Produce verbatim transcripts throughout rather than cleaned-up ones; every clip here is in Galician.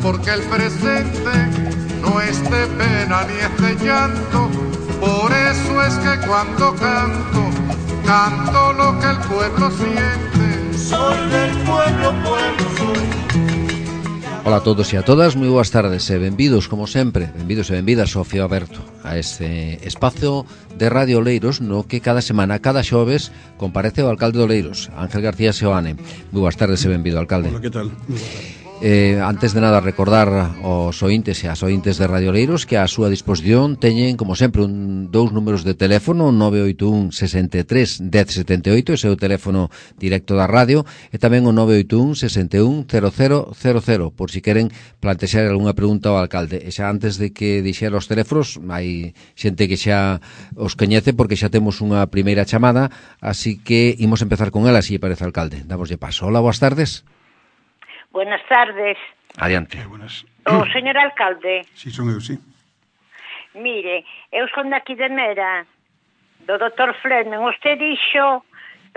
porque el presente no es de pena ni es de llanto. Por eso es que cuando canto, canto lo que el pueblo siente. Soy del pueblo, pueblo soy. Ola a todos e a todas, moi boas tardes e benvidos, como sempre, benvidos e benvidas ao Fío Aberto, a este espazo de Radio Oleiros no que cada semana, cada xoves, comparece o alcalde de Oleiros, Ángel García Seoane. Moi boas tardes e benvido, alcalde. Hola, que tal? Moi boa tarde. Eh, antes de nada, recordar aos ointes e as ointes de Radio Oleiros que a súa disposición teñen, como sempre, un, dous números de teléfono, nove oito un, sesenta e tres, dez setenta e oito, ese é o teléfono directo da radio, e tamén o nove oito un, sesenta e un, cero cero cero cero, por si queren plantexar algunha pregunta ao alcalde. E xa antes de que dixera os teléfonos, hai xente que xa os coñece porque xa temos unha primeira chamada, así que imos empezar con ela, se lle parece, alcalde. Damoslle paso. Hola, boas tardes. Buenas tardes. Adiante. Eh, buenas. O señor alcalde. Si, son eu, si. Mire, eu son daqui de Mera, do doutor Fleming. Usted dixo,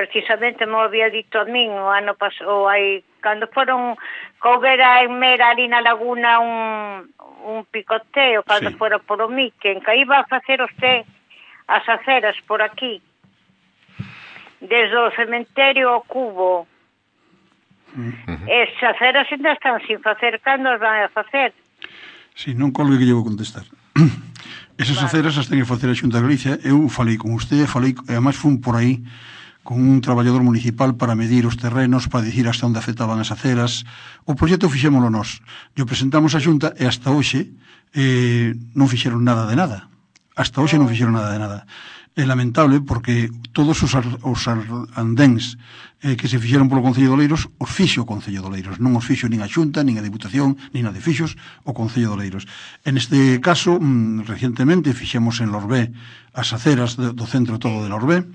precisamente me había dito a min o ano pasado, aí, cando foron coubera en Mera ali na laguna un, un picoteo, cando sí. Fora por o Miquen, que iba a facer usted as aceras por aquí, desde o cementerio ao Cubo. Uh-huh. Esas aceras ainda están sin facer. Cando as van a facer? Si, non colgue que lle vou contestar. Esas vale. aceras as ten que facer a Xunta de Galicia. Eu falei con usted, falei, e además fun por aí con un traballador municipal para medir os terrenos, para dicir hasta onde afectaban as aceras. O proxecto fixémolo nós. Yo presentamos a Xunta e hasta hoxe eh, non fixeron nada de nada. Hasta hoxe non fixeron nada de nada. É lamentable porque todos os, ar, os andéns eh, que se fixeron polo Concello de Oleiros os fixo o Concello de Oleiros, non os fixo nin a Xunta, nin a Diputación, nin a de fixos o Concello de Oleiros. En este caso, mm, recientemente fixemos en Lorbé as aceras do, do centro todo de Lorbé,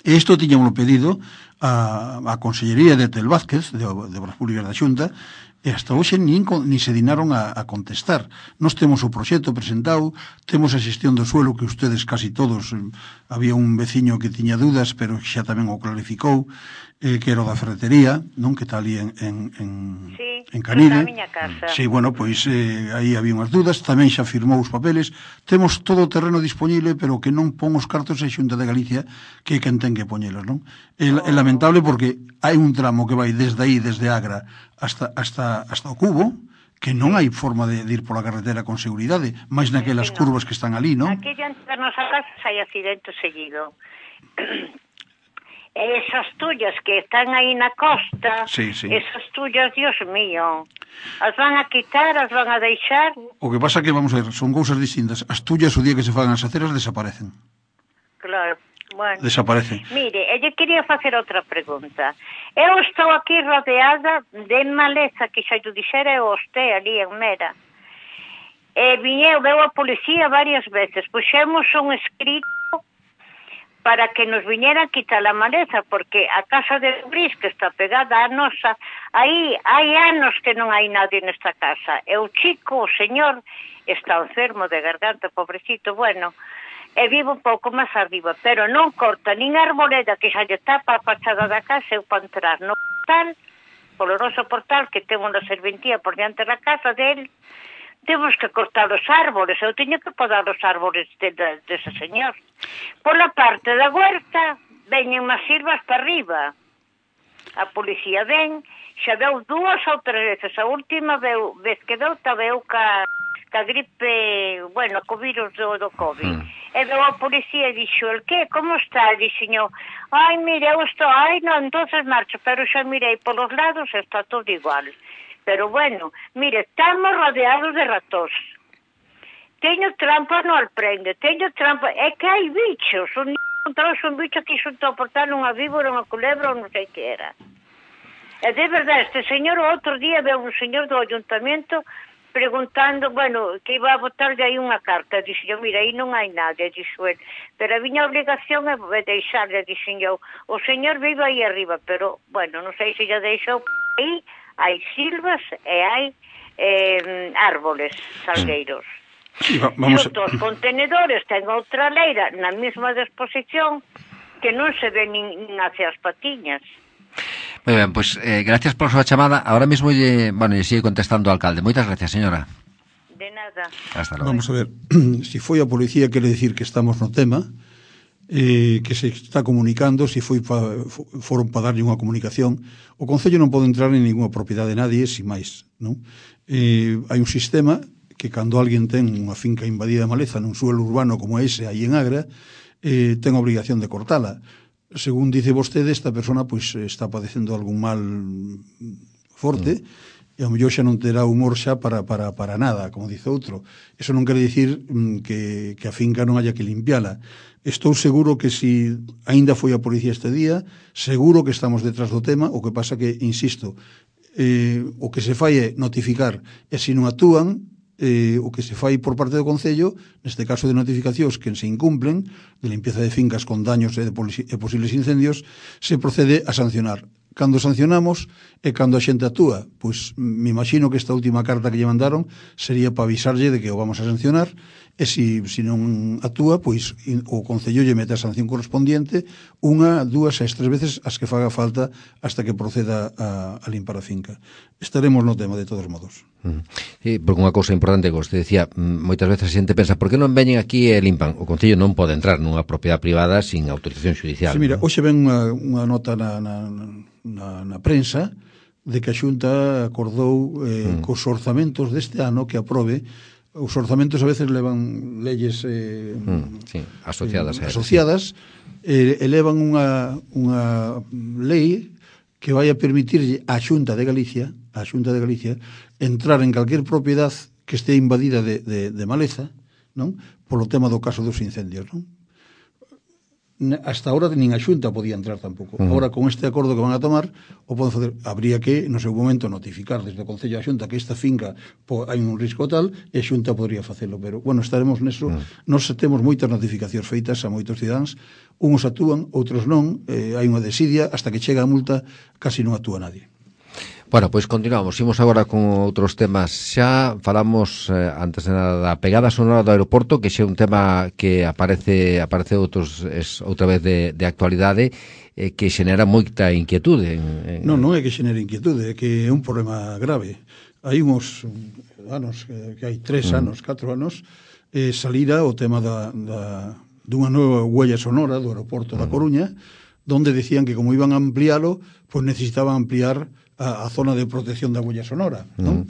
e isto tiñamos pedido a, a Consellería de Tel Vázquez, de, de Obras Públicas da Xunta, e hasta hoxe nin, nin se dinaron a, a contestar. Nós temos o proxecto presentado, temos a xestión do suelo que ustedes casi todos, eh, había un veciño que tiña dudas, pero xa tamén o clarificou, eh, que era o da ferretería, non, que está ali en, en, en, sí, en Canide. Na miña casa. Sí, bueno, pois eh, aí había unhas dudas, tamén xa firmou os papeles, temos todo o terreno disponible, pero que non pon os cartos a Xunta de Galicia, que é quen ten que poñelos, non? É, é lamentable porque hai un tramo que vai desde aí, desde Agra, hasta, hasta, hasta o Cubo, que non hai forma de, de ir pola carretera con seguridade, máis naquelas sí, no. curvas que están ali, non? Aquí diante da nosa casa hai accidente seguido. E esas tullas que están aí na costa, sí, sí. esas tullas, Dios mío, as van a quitar, as van a deixar? O que pasa que, vamos a ver, son cousas distintas. As tullas, o día que se fagan as aceras, desaparecen. Claro. Bueno, desaparece. Mire, elle quería facer outra pregunta. Eu estou aquí rodeada de maleza, que xa yo dixera eu usted ali en Mera. E viñeu, veu a policía varias veces. Puxemos un escrito para que nos viñeran quitar a maleza, porque a casa de Bris, que está pegada a nosa, aí hai anos que non hai nadie nesta casa. E o chico, o señor, está enfermo de garganta, pobrecito, bueno... e vivo un pouco máis arriba, pero non corta nin a arboleda que xa lle tapa a fachada da casa. Eu para entrar no portal, polo noso portal que ten unha serventía por diante da casa del, temos que cortar os árboles. Eu teño que podar os árboles de, de, de ese señor. Pola parte da huerta veñen máis silvas para arriba. A policía ven, xa veu dúas ou tres veces. A última veu, vez que veu, ta veu ca, ca gripe, bueno, co virus do, do COVID. Mm. E veu a policía e dixo, el que, como está? Dixo, ai, mire, eu estou, ai, non, entonces marcho, pero xa mirei polos lados, está todo igual. Pero bueno, mire, estamos rodeados de ratos. Teño trampas no alprende, teño trampas, é que hai bichos, un encontrou un bicho que xuntou a portar unha víbora, unha culebra, ou non sei que era. E de verdade, este señor, o outro día, veu un señor do ayuntamiento preguntando, bueno, que iba a botarlle aí unha carta. Dixo eu, mira, aí non hai nada, dixo el. Pero a miña obligación é deixarle, dixo eu. O señor vive aí arriba, pero, bueno, non sei se ya deixou aí, hai silvas e hai eh, árboles, salgueiros. Sí, vamos e os contenedores ten outra leira na mesma disposición que non se ve nin, nin hacia as patiñas. Moi ben, pois, pues, eh, gracias por súa chamada. Ahora mesmo, lle, bueno, lle sigue contestando o alcalde. Moitas gracias, señora. De nada. Hasta logo. Vamos a ver, si foi a policía quere decir que estamos no tema, eh, que se está comunicando, se foi pa, foron para darlle unha comunicación. O Concello non pode entrar en ninguna propiedade de nadie, sin máis, non? Eh, hai un sistema que cando alguén ten unha finca invadida de maleza nun suelo urbano como ese aí en Agra, eh, ten a obrigación de cortala. Según dice vostede, esta persona pois está padecendo algún mal forte, mm. e ao mellor xa non terá humor xa para, para, para nada, como dice outro. Eso non quere dicir mm, que, que a finca non haya que limpiala. Estou seguro que si aínda foi a policía este día, seguro que estamos detrás do tema, o que pasa que, insisto, eh, o que se fai é notificar, e se non actúan, eh, o que se fai por parte do Concello, neste caso de notificacións que se incumplen, de limpieza de fincas con daños e, de e posibles incendios, se procede a sancionar. Cando sancionamos e cando a xente actúa, pois me imagino que esta última carta que lle mandaron sería para avisarlle de que o vamos a sancionar, e se si, si non actúa, pois o Concello lle mete a sanción correspondiente unha, dúas e tres veces as que faga falta hasta que proceda a, a limpar a finca. Estaremos no tema de todos modos. Sí, porque unha cousa importante que vostede decía, moitas veces a xente pensa, por que non veñen aquí e limpan? O Concello non pode entrar nunha propiedade privada sin autorización judicial. Sí, mira, ¿no? hoxe ven unha, unha nota na, na, na, na prensa de que a Xunta acordou eh, mm. cos orzamentos deste ano que aprobe. Os orzamentos a veces levan leyes eh, mm, sí, asociadas, eh, asociadas eh, elevan unha, unha lei que vai a permitirlle á Xunta de Galicia a Xunta de Galicia entrar en calquer propiedade que este invadida de, de, de maleza, non? Polo tema do caso dos incendios, non? Hasta ahora nin a Xunta podía entrar tampouco. Uh -huh. Ahora, con este acordo que van a tomar, o poden fazer. Habría que, no seu momento, notificar desde o Concello a Xunta que esta finca po, hai un risco tal, e a Xunta podría facelo. Pero, bueno, estaremos neso. Uh -huh. Nos temos moitas notificacións feitas a moitos cidadáns. Uns actúan, outros non. Eh, hai unha desidia, hasta que chega a multa, casi non actúa nadie. Bueno, pois continuamos, imos agora con outros temas. Xa falamos eh, antes de nada da pegada sonora do aeroporto, que xa é un tema que aparece aparece outros es, outra vez de, de actualidade, eh, que xenera moita inquietude. En, en... Non, non é que xenera inquietude, é que é un problema grave. Hai uns anos, que hai tres mm. anos, catro anos, eh, salira o tema da, da, dunha nova huella sonora do aeroporto mm. da Coruña, donde decían que como iban a ampliálo, pues necesitaban ampliar a, a zona de protección da huella sonora, non? Mm.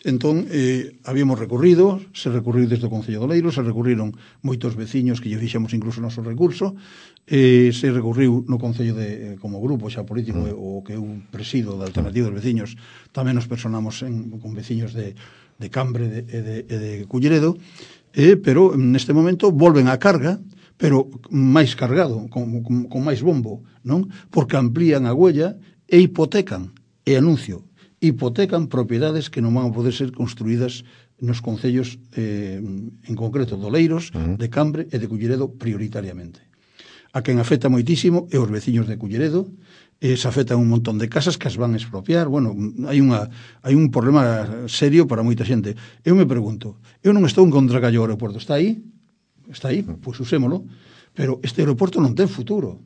Entón, eh, habíamos recurrido, se recurriu desde o Concello de Oleiros, se recurriron moitos veciños que lle fixemos incluso o noso recurso, eh, se recurriu no Concello de, eh, como grupo xa político, mm. o que eu presido da Alternativa dos Veciños, tamén nos personamos en, con veciños de, de Cambre de, e de, de, de Culleredo, eh, pero neste momento volven á carga, pero máis cargado, con, con, con máis bombo, non? Porque amplían a huella e hipotecan, e anuncio, hipotecan propiedades que non van a poder ser construídas nos concellos, eh, en concreto de Oleiros, uh -huh. de Cambre e de Culleredo prioritariamente. A quen afecta moitísimo é os veciños de Culleredo, eh, se afectan un montón de casas que as van a expropiar. Bueno, hai unha hai un problema serio para moita xente. Eu me pregunto, eu non estou en contra que o aeroporto, está aí? Está aí, pois usémolo, pero este aeroporto non ten futuro.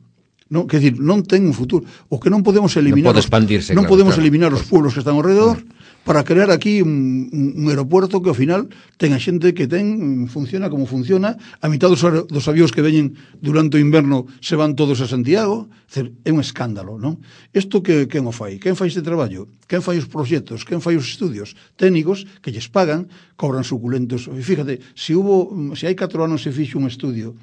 Non, quer dizer, non ten un futuro. O que non podemos eliminar non pode expandirse, non claro, podemos claro. eliminar os pueblos que están ao redor mm. para crear aquí un, un aeroporto que ao final ten a xente que ten, funciona como funciona, a mitad dos, dos avións que veñen durante o inverno se van todos a Santiago. Dizer, é un escándalo, non? Isto que quen o fai? Quen fai este traballo? Quen fai os proxectos? Quen fai os estudios técnicos que lles pagan, cobran suculentos? E fíjate, se hubo, se hai catro anos se fixo un estudio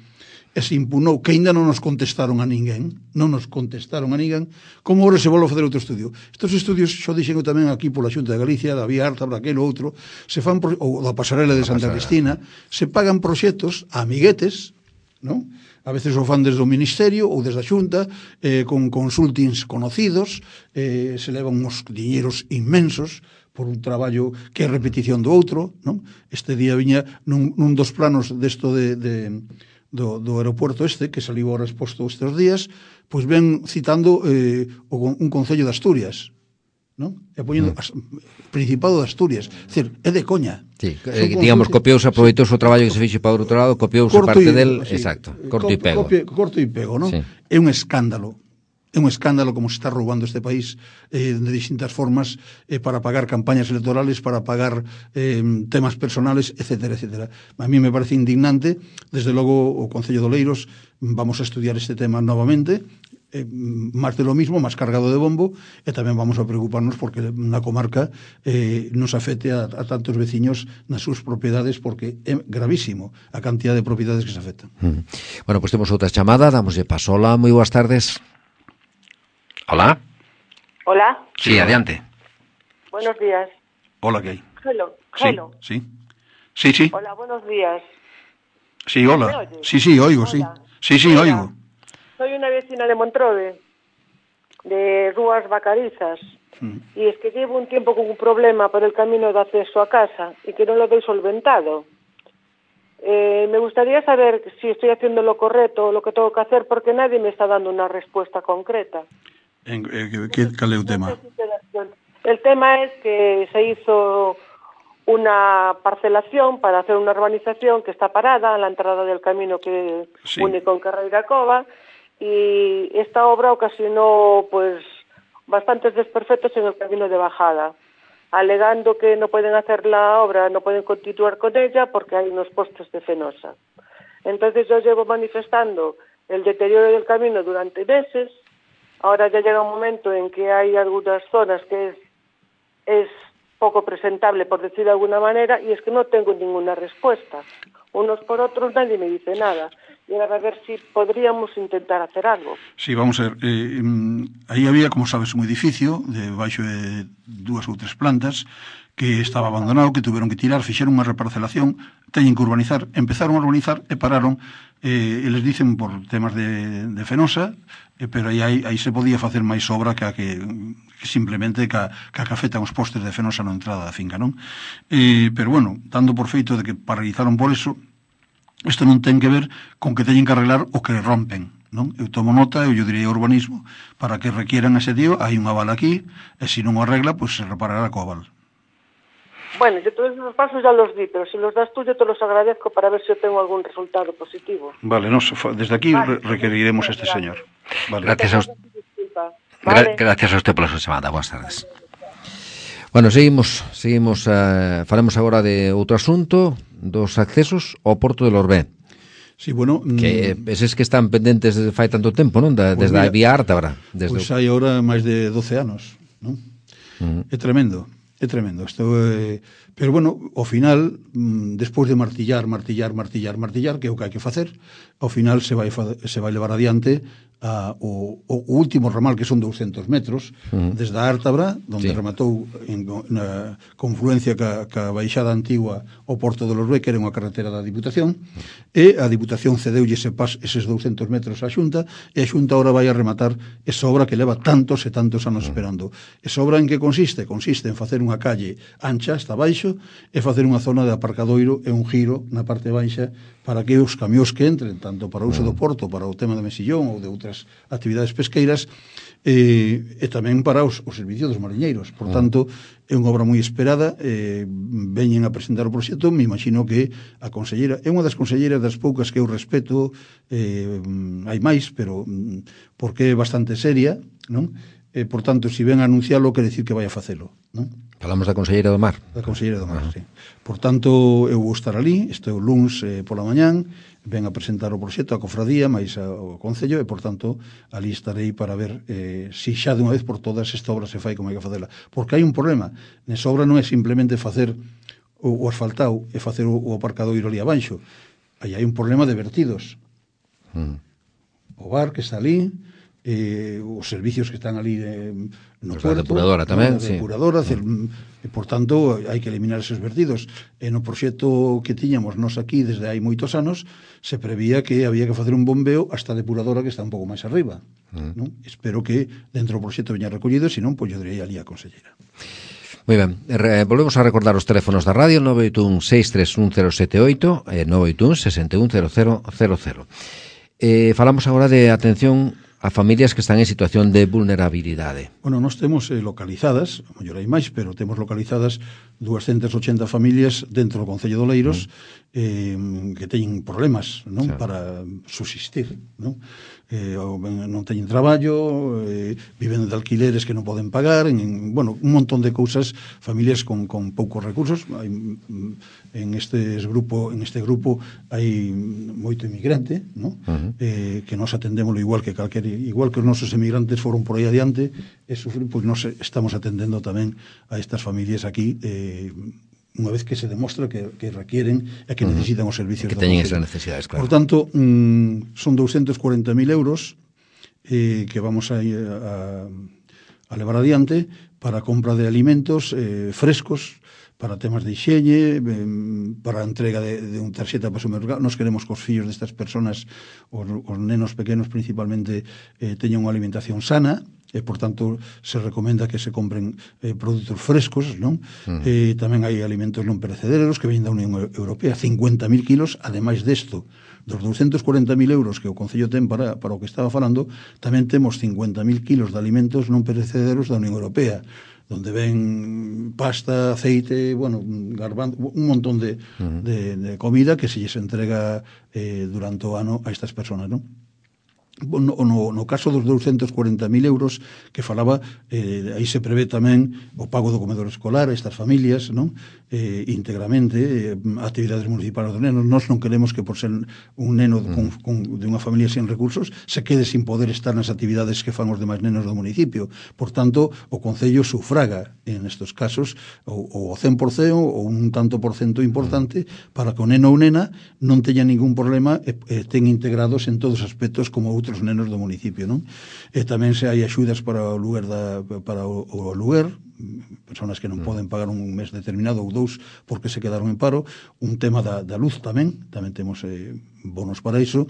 e se impunou, que ainda non nos contestaron a ninguén, non nos contestaron a ninguén, como agora se volve a fazer outro estudio. Estos estudios, xo dixen tamén aquí pola Xunta de Galicia, da Vía Arta, para aquel outro, se fan, ou da pasarela de Santa Cristina, se pagan proxectos a amiguetes, non? A veces o fan desde o Ministerio ou desde a Xunta, eh, con consultings conocidos, eh, se levan uns diñeiros inmensos por un traballo que é repetición do outro, non? Este día viña nun, nun dos planos desto de... de Do, do aeroporto este, que saliu ahora exposto estes días, pois ven citando eh, o, un concello de Asturias, non? E poñendo mm. as, Principado de Asturias. É dicir, é de coña. Sí, eh, digamos, copiouse, aproveitouse o traballo que se fixe para o outro lado, copiouse parte del, sí, exacto, corto e pego. Copia, corto e pego, non? Sí. É un escándalo. é un escándalo como se está roubando este país eh, de distintas formas eh, para pagar campañas electorales, para pagar eh, temas personales, etcétera, etcétera. A mí me parece indignante. Desde logo o Concello de Oleiros vamos a estudiar este tema novamente, eh, máis de lo mismo, máis cargado de bombo, e tamén vamos a preocuparnos porque na comarca eh, nos afecte a, a tantos veciños nas súas propiedades, porque é gravísimo a cantidad de propiedades que se afectan. Mm. Bueno, pues temos outra chamada, damoslle paso. Hola, moi boas tardes. Hola. Hola. Sí, adiante. Buenos días. Hola, ¿qué hay? Hello. Hello. Sí, sí. Sí, sí. Hola, buenos días. Sí, hola. Sí, sí, oigo, sí. Sí, sí, Hola. oigo. Soy una vecina de Montrode, de Rúas Vacarizas, mm. y es que llevo un tiempo con un problema por el camino de acceso a casa y que no lo doy solventado. Eh, me gustaría saber si estoy haciendo lo correcto o lo que tengo que hacer, porque nadie me está dando una respuesta concreta. En, eh, ¿qué, ¿Cuál es el tema? No sé si te das cuenta. El tema es que se hizo una parcelación para hacer una urbanización que está parada a la entrada del camino que sí. une con Carreira Cova, y esta obra ocasionó pues bastantes desperfectos en el camino de bajada, alegando que no pueden hacer la obra, no pueden continuar con ella porque hay unos postes de Fenosa. Entonces yo llevo manifestando el deterioro del camino durante meses. Ahora ya llega un momento en que hay algunas zonas que es, es poco presentable, por decir de alguna manera, y es que no tengo ninguna respuesta. Unos por otros nadie me dice nada. Y ahora a ver si podríamos intentar hacer algo. Sí, vamos a ver. Eh, aí había, como sabes, un edificio de baixo de dúas ou tres plantas que estaba abandonado, que tuveron que tirar, fixeron unha reparcelación, teñen que urbanizar, empezaron a urbanizar e pararon, eh, e les dicen por temas de, de Fenosa, eh, pero aí, aí, aí se podía facer máis obra que, a que, que simplemente que a, que a que afectan os postes de Fenosa na entrada da finca, non? Eh, pero bueno, dando por feito de que paralizaron por eso, isto non ten que ver con que teñen que arreglar o que rompen, non? Eu tomo nota, eu diría urbanismo, para que requieran ese tío, hai un aval aquí, e se non o arregla, pois pues se reparará co aval. Bueno, yo todos los pasos ya los di, pero si los das tú yo te los agradezco para ver si yo tengo algún resultado positivo. Vale, nos, desde aquí vale, requeriremos a este gracias. señor. Vale. Gracias a usted. Vale. Gra gracias a usted pola súa chamada. Boas tardes. Bueno, seguimos, seguimos, uh, faremos agora de outro asunto, dos accesos ao Porto de Lorbé. Sí, bueno, que eses que están pendentes desde fai tanto tempo, non? Da, pues desde mira, a vía Ártabra. Desde pois pues hai agora máis de doce anos, non? Uh -huh. É tremendo. É tremendo. Isto, eh, pero, bueno, ao final, despois de martillar, martillar, martillar, martillar, que é o que hai que facer, ao final se vai, se vai levar adiante a, o, o último ramal, que son douscentos metros, uh -huh. desde a Ártabra, onde sí. rematou en, na confluencia ca, ca baixada antigua ao Porto de Lorbé, que era unha carretera da Diputación, e a Diputación cedeulle ese pas, eses douscentos metros á Xunta, e a Xunta ahora vai a rematar esa obra que leva tantos e tantos anos uh -huh. esperando. Esa obra en que consiste? Consiste en facer unha calle ancha hasta baixo e facer unha zona de aparcadoiro e un giro na parte baixa para que os camións que entren, tanto para o uso do porto, para o tema de Mesillón ou de outras actividades pesqueiras, eh, e tamén para os, os servicios dos mariñeiros. Por tanto, é unha obra moi esperada, eh, veñen a presentar o proxecto, me imagino que a conselleira, é unha das conselleiras das poucas que eu respeto, eh, hai máis, pero porque é bastante seria, non? Eh, por tanto, se si ven a anuncialo, quere decir que vai a facelo, non? Falamos da conselleira do Mar. Da conselleira do Mar, uh -huh. sí. Por tanto, eu vou estar ali, estou luns eh, pola mañán, ven a presentar o proxecto a cofradía, máis ao Concello, e, por tanto, ali estarei para ver eh, se xa de unha vez por todas esta obra se fai como hai que facela. Porque hai un problema. Nesa obra non é simplemente facer o, o asfaltado e facer o, o aparcadoiro ali abaixo. Aí hai un problema de vertidos. Uh -huh. O bar que está ali, eh, os servicios que están ali eh, no pues puerto, a depuradora tamén, a depuradora, sí. Cel, e por tanto hai que eliminar esos vertidos. E no proxecto que tiñamos nós aquí desde hai moitos anos se prevía que había que facer un bombeo hasta a depuradora que está un pouco máis arriba, mm. non? Espero que dentro do proxecto veña recollido, senón, pois yo direi ali a conselleira. Moi ben, Re, volvemos a recordar os teléfonos da radio nove oito un seis tres un cero sete oito e nove oito un seis un cero cero cero cero. Eh, falamos agora de atención a familias que están en situación de vulnerabilidade. Bueno, nós temos eh, localizadas, a mellor hai máis, pero temos localizadas doscientas ochenta familias dentro do Concello de Oleiros, mm. eh, que teñen problemas, non? Claro. Para subsistir, non? Eh, non teñen traballo, eh, viven de alquileres que non poden pagar, en, bueno, un montón de cousas, familias con, con poucos recursos. Hai, en este grupo, en este grupo hai moito inmigrante, non? Uh-huh. Eh, que nos atendémoslo igual que calquer, igual que os nosos emigrantes foron por aí adiante e sufrir, pois nos estamos atendendo tamén a estas familias aquí, eh, unha vez que se demostra que, que requieren e que necesitan os servicios que teñen esas necesidades, claro. Por tanto, mm, son doscientos cuarenta mil euros eh, que vamos a, a, a levar adiante para a compra de alimentos eh, frescos, para temas de higiene, eh, para a entrega de, de un tarxeta para o supermercado. Nos queremos que os fillos destas personas, os, os nenos pequenos principalmente, eh, teñan unha alimentación sana, e, por tanto, se recomenda que se compren eh, produtos frescos, non? Uh-huh. Eh, tamén hai alimentos non perecederos que veñen da Unión Europea, cincuenta mil kilos, ademais desto, dos doscientos cuarenta mil euros que o Concello ten para, para o que estaba falando, tamén temos cincuenta mil kilos de alimentos non perecederos da Unión Europea, donde ven pasta, aceite, bueno, garbanzo, un montón de, uh-huh. de, de comida que se lles entrega eh, durante o ano a estas personas, non? No, no, no caso dos doscientos cuarenta mil euros que falaba, eh, aí se prevé tamén o pago do comedor escolar a estas familias, non? Eh, íntegramente, eh, actividades municipales dos nenos. Nós non queremos que por ser un neno con, con, de unha familia sen recursos se quede sin poder estar nas actividades que fan os demais nenos do municipio. Por tanto, o Concello sufraga en estes casos o, o cen por cento ou un tanto por cento importante para que o neno ou nena non teña ningún problema e, e ten integrados en todos os aspectos como outros nenos do municipio, non? E tamén se hai axudas para o lugar da, para o, o lugar, personas que non mm. poden pagar un mes determinado ou dous porque se quedaron en paro, un tema da, da luz tamén, tamén temos eh, bonos para iso,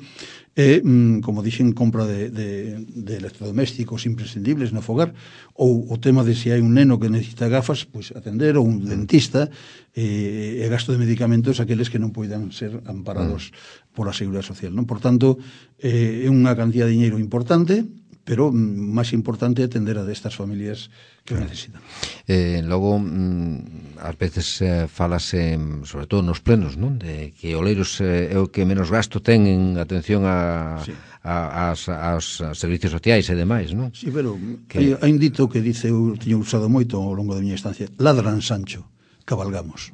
e, mm, como dixen, compra de, de, de electrodomésticos imprescindibles no fogar, ou o tema de se hai un neno que necesita gafas, pois atender, ou un dentista, e, e gasto de medicamentos aqueles que non poidan ser amparados mm. pola Seguridade Social, non? Por tanto, eh, é unha cantidad de dinheiro importante, pero máis importante é atender a destas familias que o necesitan. Eh, logo, mm, ás veces eh, falase, sobre todo nos plenos, non? De que Oleiros eh, é o que menos gasto ten en atención a, sí. a, a, a, aos servicios sociais e demais, non? Sí, pero que... hai, hai un dito que dice, eu teño usado moito ao longo da miña estancia, ladran Sancho, cabalgamos.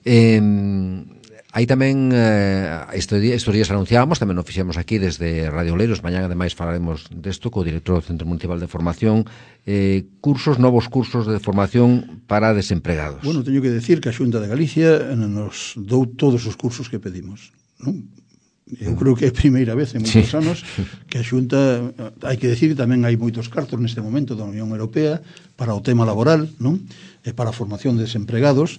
Eh... Aí tamén, eh, estes días anunciábamos, tamén o fixemos aquí desde Radio Oleiros, mañán ademais falaremos desto co director do Centro Municipal de Formación, eh, cursos, novos cursos de formación para desempregados. Bueno, teño que decir que a Xunta de Galicia nos dou todos os cursos que pedimos, non? Eu creo que é a primeira vez en moitos sí. anos que a Xunta, hai que decir que tamén hai moitos cartos neste momento da Unión Europea para o tema laboral, non? E para a formación de desempregados.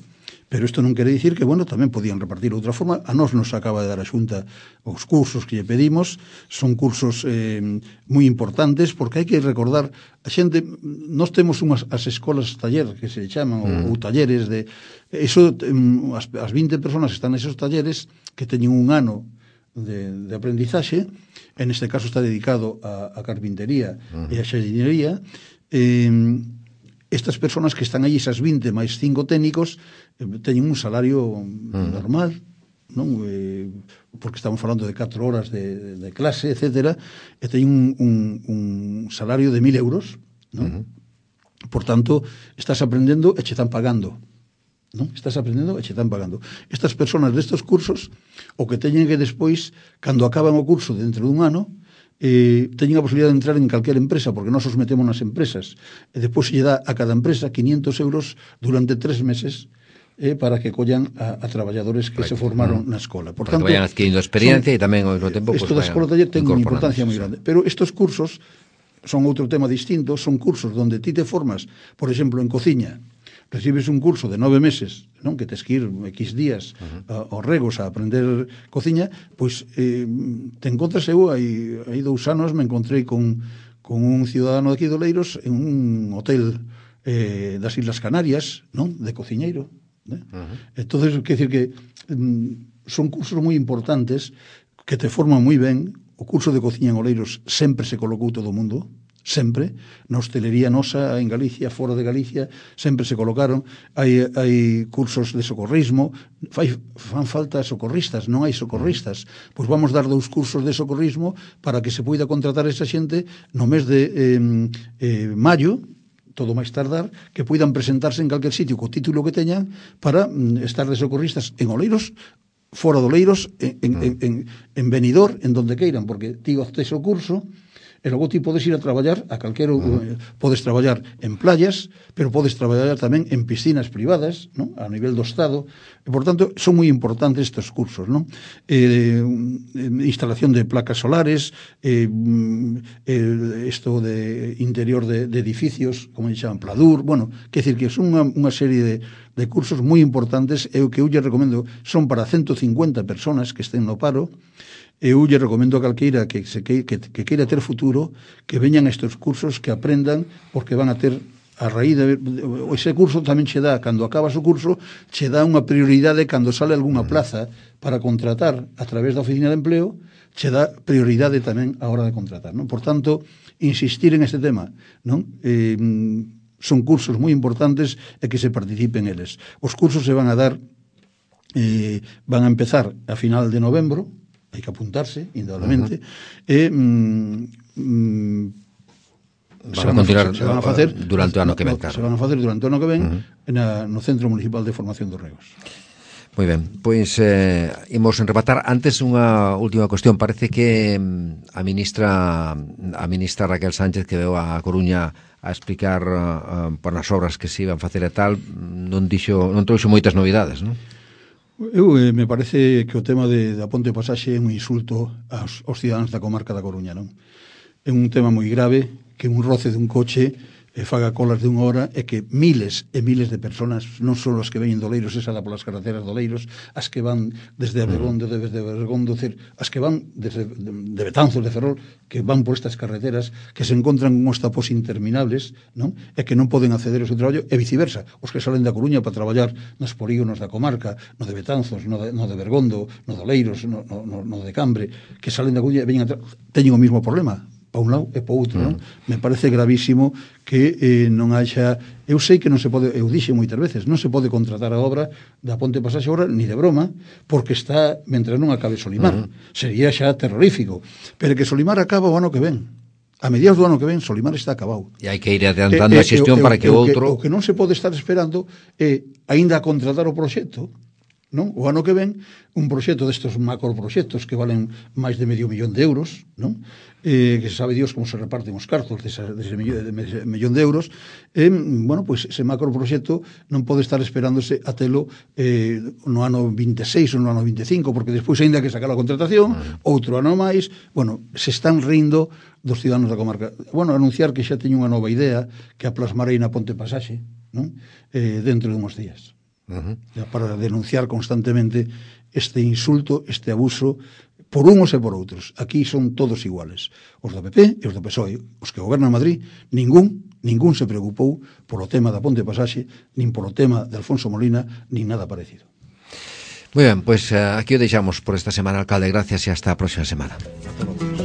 Pero isto non quere dicir que, bueno, tamén podían repartir outra forma. A nós nos acaba de dar a Xunta os cursos que lle pedimos. Son cursos eh, moi importantes, porque hai que recordar, a xente, nós temos unhas as escolas taller, que se chaman, mm. ou, ou talleres de... Eso, as, as vinte personas que están nesos talleres, que teñen un ano de, de aprendizaxe, en este caso está dedicado a, a carpintería mm. e a xardinería, eh, estas personas que están aí, esas vinte máis cinco técnicos, teñen un salario uh-huh. normal, non? Eh, porque estamos falando de catro horas de, de clase, etcétera, e teñen un, un, un salario de mil euros, non? Uh-huh. Por tanto, estás aprendendo e che están pagando, non? Estás aprendendo e che están pagando. Estas personas destes cursos, o que teñen que despois, cando acaban o curso dentro dun ano, eh, teñen a posibilidade de entrar en calquera empresa, porque nós os metemos nas empresas, e despois se lle dá a cada empresa quinientos euros durante tres meses, eh, para que collan a, a traballadores que right. se formaron na escola. Por para tanto, que vayan adquirindo experiencia e tamén ao mesmo tempo isto pues, da escola taller ten unha importancia moi grande. Pero estes cursos son outro tema distinto, son cursos donde ti te formas, por exemplo, en cociña, recibes un curso de nove meses, non, que tes que ir X días uh-huh. aos regos a aprender cociña, pois eh, te encontras, eu hai, hai dous anos me encontrei con, con un ciudadano de aquí de Oleiros en un hotel eh, das Islas Canarias, non, de cociñeiro. ¿Eh? Uh-huh. Entonces, quer decir que mm, son cursos moi importantes que te forman moi ben. O curso de cociña en Oleiros sempre se colocou todo o mundo, sempre, na hostelería nosa en Galicia, fora de Galicia, sempre se colocaron, hai, hai cursos de socorrismo, fai, fan falta socorristas, non hai socorristas, pois vamos dar dous cursos de socorrismo para que se poida contratar esa xente no mes de eh, eh, maio, todo máis tardar, que poidan presentarse en calquer sitio co título que teñan para mm, estar de socorristas en Oleiros, fora de Oleiros, en, en, en, en, en Benidorm, en donde queiran, porque ti optes o curso, e logo ti podes ir a traballar a calquera, uh-huh. podes traballar en playas, pero podes traballar tamén en piscinas privadas, ¿no? A nivel do Estado, e por tanto son moi importantes estes cursos, ¿no? Eh, instalación de placas solares, eh, eh, esto de interior de, de edificios, como se chaman, pladur, bueno, quer decir que son unha, unha serie de, de cursos moi importantes, e o que eu lle recomendo son para ciento cincuenta personas que estén no paro. Eu lle recomendo a calqueira que, se, que, que, que queira ter futuro que veñan estes cursos, que aprendan, porque van a ter a raíz de... Ese curso tamén che dá, cando acabas o curso, che dá unha prioridade cando sale algunha plaza para contratar a través da oficina de empleo, che dá prioridade tamén a hora de contratar, non? Por tanto, insistir en este tema, non? Eh, son cursos moi importantes e que se participen eles. Os cursos se van a dar, eh, van a empezar a final de novembro, hai que apuntarse, indudablemente, uh-huh. e mm, mm, se van a continuar se van a facer durante o ano que ven, claro. Se van a facer durante o ano que ven uh-huh. na, no Centro Municipal de Formación dos Regos. Moi ben, pois eh, imos enrematar. Antes unha última cuestión. Parece que a ministra a ministra Raquel Sánchez, que veu a Coruña a explicar uh, por as obras que se iban facer e tal, non dixo, non trouxo moitas novidades, non? Eu eh, me parece que o tema de, da Ponte Pasaxe é un insulto aos, aos cidadáns da comarca da Coruña, non? É un tema moi grave, que un roce dun coche e faga colas de unha hora, e que miles e miles de personas, non só as que veñen de Oleiros, esa da polas carreteras de Oleiros, as que van desde Abegondo, desde Abegondo, as que van desde de Betanzos, de Ferrol, que van por estas carreteras, que se encontran con uns tapos interminables, non? E que non poden acceder ao seu traballo, e viceversa, os que salen da Coruña para traballar nos polígonos da comarca, no de Betanzos, no de, no de Bergondo, no de Oleiros, no, no, no de Cambre, que salen da Coruña e veñen a tra... teñen o mesmo problema, para un lado e para outro, non? Me parece gravísimo que eh, non haxa... Eu sei que non se pode, eu dixe moitas veces, non se pode contratar a obra da Ponte Pasaxe agora, ni de broma, porque está, mentre non acabe Solimar. Uh-huh. Sería xa terrorífico. Pero que Solimar acaba o ano que ven. A mediados do ano que ven, Solimar está acabado. E hai que ir adiantando eh, eh, a xestión eh, para que eh, outro... O que, o que non se pode estar esperando é, aínda contratar o proxecto, non? O ano que ven, un proxecto destes macroproxectos que valen máis de medio millón de euros, non? Eh, que sabe Dios como se reparten os cartos dese, dese millón, de, millón de euros, eh, bueno, pois pues, ese macroproxecto non pode estar esperándose a telo eh, no ano vinte e seis ou no ano vinte e cinco, porque despois aínda que sacar a contratación, outro ano máis, bueno, se están rindo dos cidaдаnos da comarca. Bueno, anunciar que xa teño unha nova idea que a plasmarei na Ponte Pasaxe, non? Eh, dentro de uns días. Uh-huh. Para denunciar constantemente este insulto, este abuso por unos e por outros. Aquí son todos iguales, os do P P e os do P S O E. Os que gobernan Madrid, ningún ningún se preocupou polo tema da Ponte Pasaxe, nin polo tema de Alfonso Molina, nin nada parecido. Moi ben, pois pues, uh, aquí o deixamos por esta semana, alcalde. Gracias e hasta a próxima semana. Hasta logo.